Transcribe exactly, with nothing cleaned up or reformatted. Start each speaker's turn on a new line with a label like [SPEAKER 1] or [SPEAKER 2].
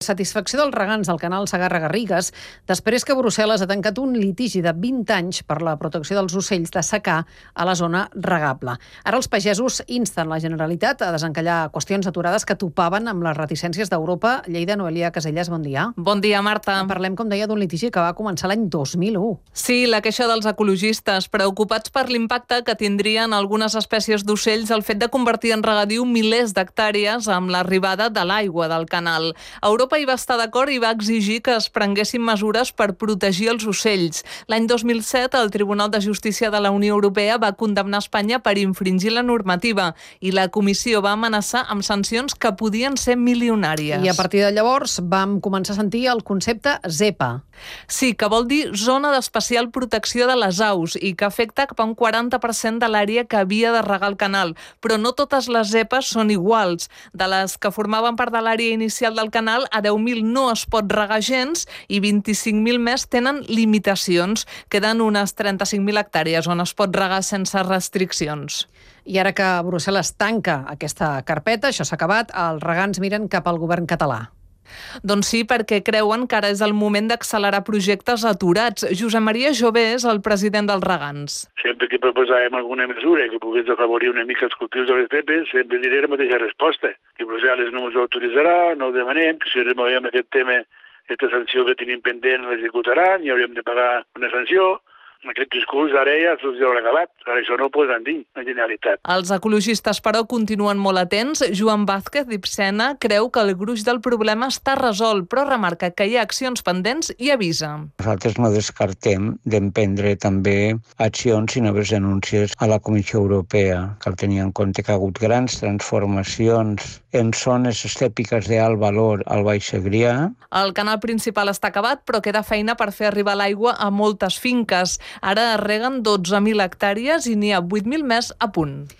[SPEAKER 1] satisfacció dels regants del canal Segarra-Garrigues després que Brussel·les ha tancat un litigi de vint anys per la protecció dels ocells de secà a la zona regable. Ara els pagesos insten la Generalitat a desencallar qüestions aturades que topaven amb les reticències d'Europa. Lleida, Noelia Casellas, bon dia.
[SPEAKER 2] Bon dia, Marta.
[SPEAKER 1] Parlem, com deia, d'un litigi que va començar l'any dos mil u.
[SPEAKER 2] Sí, la queixa dels ecologistes, preocupats per l'impacte que tindrien algunes espècies d'ocells el fet de convertir en regadiu milers d'hectàrees amb l'arribada de l'aigua del canal. Europa hi va estar d'acord i va exigir que es prenguessin mesures per protegir els ocells. L'any dos mil set, el Tribunal de Justícia de la Unió Europea va condemnar Espanya per infringir la normativa i la Comissió va amenaçar amb sancions que podien ser milionàries.
[SPEAKER 1] I a partir de llavors vam començar a sentir el concepte ZEPA.
[SPEAKER 2] Sí, que vol dir Zona d'Especial Protecció de les Aus i que afecta cap a un quaranta per cent de l'àrea que havia de regar el canal. Però no totes les zepes són iguals. De les que formaven part de l'àrea inicial del canal, a deu mil no es pot regar gens i vint-i-cinc mil més tenen limitacions. Queden unes trenta-cinc mil hectàrees on es pot regar sense restriccions.
[SPEAKER 1] I ara que Brussel·les tanca aquesta carpeta, això s'ha acabat, els regants miren cap al govern català.
[SPEAKER 2] Doncs sí, perquè creuen que ara és el moment d'accelerar projectes aturats. Josep Maria Jové és el president dels regants.
[SPEAKER 3] Sempre que proposàvem alguna mesura que pogués afavorir una mica els cultius de les zepes, sempre diré la mateixa resposta, que Brussel·les no ens ho autoritzarà, no ho demanem, que si removem aquest tema, aquesta sanció que tenim pendent l'executaran i hauríem de pagar una sanció. Aquest discurs ara ja se'ls haurà acabat. Ara això no ho poden dir, la Generalitat.
[SPEAKER 2] Els ecologistes, però, continuen molt atents. Joan Vázquez d'Ipsena creu que el gruix del problema està resolt, però remarca que hi ha accions pendents i avisa.
[SPEAKER 4] Nosaltres no descartem d'emprendre també accions i noves denúncies a la Comissió Europea. Cal tenir en compte que ha hagut grans transformacions en zones estèpiques d'alt valor al Baix Segrià.
[SPEAKER 2] El canal principal està acabat, però queda feina per fer arribar l'aigua a moltes finques. Ara es reguen dotze mil hectàrees i n'hi ha vuit mil més a punt.